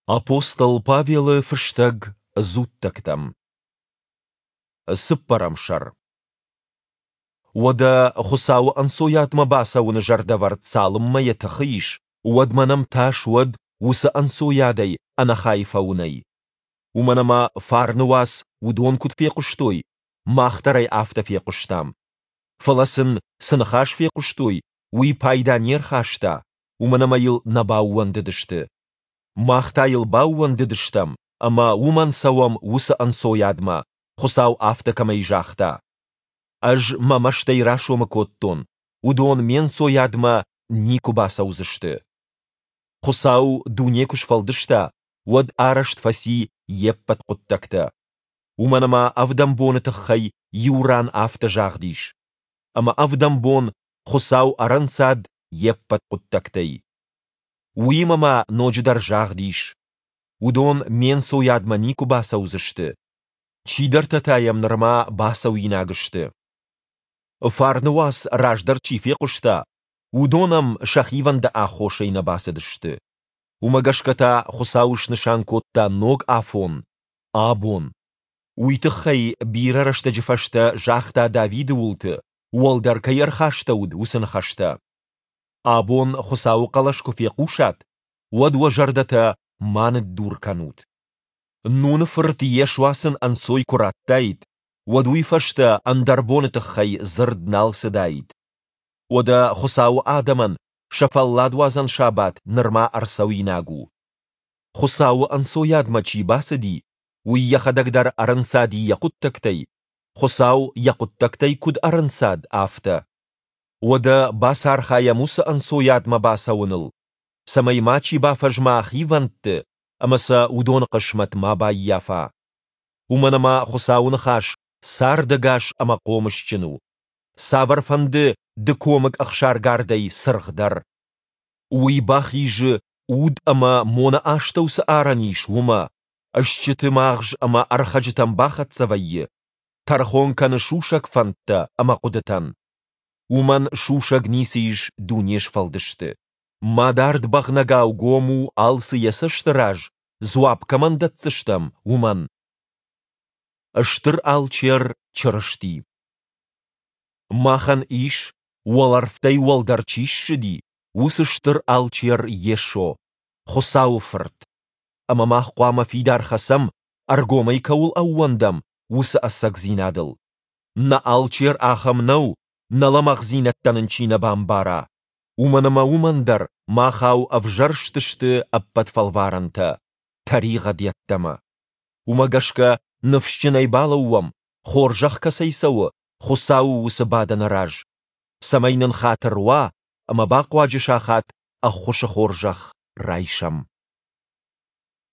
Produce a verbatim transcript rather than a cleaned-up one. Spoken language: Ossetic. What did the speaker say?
Апостол Павелы фыстӕг дзуттӕгтӕм. Цыппӕрӕм сӕр. Уӕдӕ Хуыцауы ӕнцойадмӕ бацӕуыны зӕрдӕвӕрд цалынмӕ йӕ тыхы ис, уӕдмӕ нӕм тас уӕд уыцы ӕнцойадӕй ӕнӕхай фӕуынӕй. Уымӕн ӕмӕ фарны уац уыдон куыд фехъуыстой, мах дӕр ӕй афтӕ фехъуыстам. Фӕлӕ сын, цы ныхас фехъуыстой, уый пайда не рхаста, уымӕн ӕмӕ йыл нӕ баууӕндыдысты. Мах та йыл баууӕндыдыстӕм ӕмӕ уымӕн цӕуӕм уыцы ӕнцойадмӕ, Хуыцау афтӕ кӕмӕй загъта: Ӕз мӕ мӕстӕй расомы кодтон, уыдон ме нцойадмӕ никуы бацӕудзысты. Хуыцау дуне куы сфӕлдыста, уӕд арӕзт фӕци йе ппӕт хъуыддӕгтӕ. Уымӕн ӕмӕ ӕвдӕм боны тыххӕй иу ран афтӕ загъд ис: Ӕмӕ ӕвдӕм бон Хуыцау ӕрӕнцад йе ппӕт хъуыддӕгтӕй. Уыимӕ ма ноджыдӕр загъд ис: Уыдон ме нцойадмӕ никуы бацӕудзысты. Чидӕртӕ та йӕм нырма бацӕуинаг сты. Фарны уац раздӕр чи фехъуыста, уыдон ӕм сӕ хивӕнды аххосӕй нӕ бацыдысты. Уымӕ гӕсгӕ та Хуыцау снысан кодта ног афон – абон. Уый тыххӕй бирӕ рӕстӕджы фӕстӕ загъта Давиды уылты, уӕлдӕр кӕй ӕрхастӕуыд, уыцы ныхӕстӕ. Абон Хуыцауы хъӕлӕс куы фехъусат, уӕд уӕ зӕрдӕтӕ ма ныддур кӕнут. Нуны фырт Йешуа сын ӕнцой куы радтаид, уӕд уый фӕстӕ ӕндӕр боны тыххӕй дзырд нал цыдаид. Уӕдӕ Хуыцауы адӕмӕн сӕ фӕлладуадзӕн сабат нырма ӕрцӕуинаг у. Хуыцауы ӕнцойадмӕ чи бацыди, уый йӕхӕдӕг дӕр ӕрӕнцади йӕ хъуыддӕгтӕй, Хуыцау йӕ хъуыддӕгтӕй куыд ӕрӕнцад, афтӕ. Уӕдӕ бацархайӕм уыцы ӕнцойадмӕ бацӕуыныл, цӕмӕй мачи бафӕзма хивӕндты ӕмӕ сӕ уыдоны хъысмӕт ма баййафа. Уымӕн ӕмӕ Хуыцауы ныхас цардӕгас ӕмӕ хъомысджын у, цавӕрфӕнды дыкомыг ӕхсаргардӕй цыргъдӕр. Уый бахизы, уд ӕмӕ моны астӕу цы арӕн ис, уымӕ, стджыты магъз ӕмӕ ӕрхӕджытӕм бахӕццӕ вӕййы, тӕрхон кӕны сусӕг фӕндтӕ ӕмӕ хъуыдытӕн. Уымӕн сусӕг ницы ис дунесфӕлдысты. Мадард бӕгънӕгау гом у алцы йӕ цӕсты раз, дзуапп кӕмӕн дӕтдзыстӕм, уымӕн. Стыр алчер Чырысти. Махӕн ис, уӕлӕрвтӕй уӕлдӕр чи ссыди, уыцы стыр алчер Йесо, Хуыцауы Фырт. Ӕмӕ мах хъуамӕ фидар хӕцӕм, ӕргомӕй кӕуыл ӕууӕндӕм, уыцы ӕцӕгдзинадыл. Нӕ алчер ахӕм нӕу, нӕ лӕмӕгъдзинӕдтӕ нын чи нӕ бамбара. Уымӕн ӕмӕ уымӕн дӕр махау ӕвзӕрст сты ӕппӕт фӕлварӕнтӕ, тӕригъӕд йеддӕмӕ. Уымӕ гӕсгӕ ныфсджынӕй балӕууӕм, хорзӕх кӕцӕй цӕуы, Хуыцауы уыцы бадӕны раз, цӕмӕй нын хатыр уа ӕмӕ бахъуаджы сахат ӕххуысы хорзӕх райсӕм.